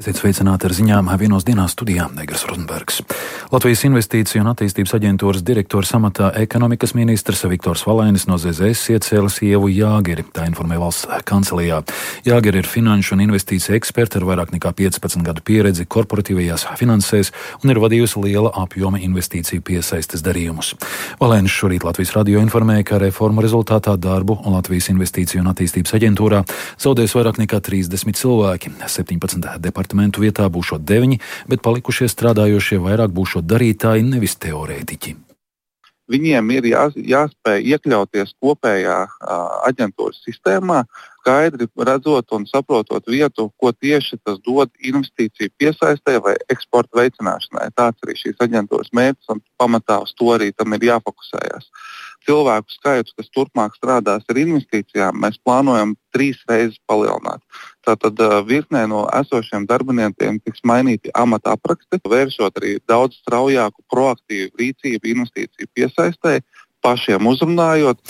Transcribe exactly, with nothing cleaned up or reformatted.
Esiet sveicināti ar ziņām vienos dienās studijā Negras Rozenbergs. Latvijas Investīciju un attīstības aģentūras direktors amatā ekonomikas ministrs Viktors Valainis no Z Z S iecēlis Ievu Jāgeri, tā informē valsts kancelijā. Jāgeri ir finanšu un investīciju eksperta ar vairāk nekā piecpadsmit gadu pieredzi korporatīvajās finansēs un ir vadījusi liela apjoma investīciju piesaistes darījumus. Valainis šorīt Latvijas radio informēja, ka reformu rezultātā darbu Latvijas Investīciju un attīstības aģentūrā zaudēs vairāk nekā trīsdesmit cilvēki, septiņpadsmit departamentu vietā būšot deviņi, bet palikušie strādājošie vairāk būšot darītāji, nevis teorētiķi. Viņiem ir jā, jāspēj iekļauties kopējā a, aģentūras sistēmā, skaidri redzot un saprotot vietu, ko tieši tas dod investīciju piesaistē vai eksporta veicināšanai. Tāds arī šīs aģentūras mērķis un pamatā uz to arī tam ir jāfokusējas. Cilvēku skaitu, kas turpmāk strādās ar investīcijām, mēs plānojam trīs reizes palielināt. Tātad virknē no esošiem darbiniekiem tiks mainīti amata apraksti, vēršot arī daudz straujāku proaktīvu rīcību investīciju piesaistē, pašiem uzrunājot.